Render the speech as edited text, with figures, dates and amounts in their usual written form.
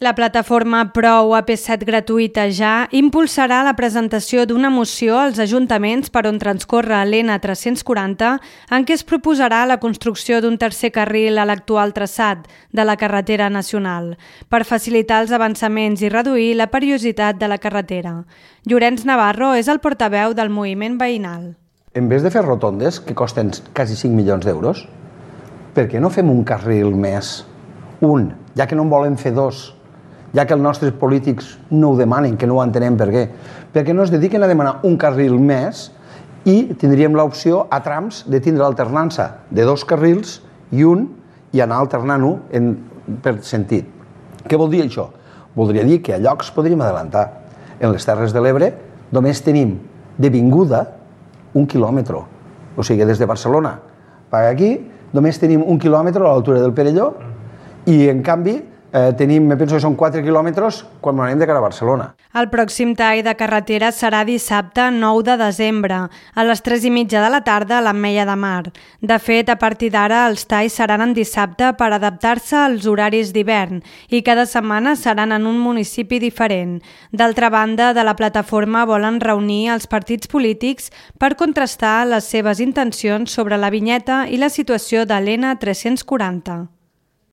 La plataforma Prou AP7 gratuïta ja impulsarà la presentació d'una moció als ajuntaments per on transcorre l'N340 en què es proposarà la construcció d'un tercer carril a l'actual traçat de la carretera nacional per facilitar els avançaments i reduir la perillositat de la carretera. Llorenç Navarro és el portaveu del moviment veïnal. En vez de fer rotondes, que costen quasi 5 milions d'euros, per què no fem un carril més? Un, ja que no en volen fer dos, ja que els nostres polítics no ho demanen, que no ho entenem per què. Perquè no es dediquen a demanar un carril més i tindríem l'opció a trams de tindre l'alternança de dos carrils i un i anar alternant-ho per sentit. Què vol dir això? Voldria dir que a llocs podríem adelantar. En les Terres de l'Ebre només tenim de vinguda 1 quilòmetre. O sigui, des de Barcelona per aquí només tenim 1 quilòmetre a l'altura del Perelló i en canvi tenim, penso que són 4 quilòmetres quan anem de cara a Barcelona. El pròxim tall de carretera serà dissabte 9 de desembre, a les 3:30 de la tarda a l'Ametlla de Mar. De fet, a partir d'ara els talls seran en dissabte per adaptar-se als horaris d'hivern i cada setmana seran en un municipi diferent. D'altra banda, de la plataforma volen reunir els partits polítics per contrastar les seves intencions sobre la vinyeta i la situació de l'N340.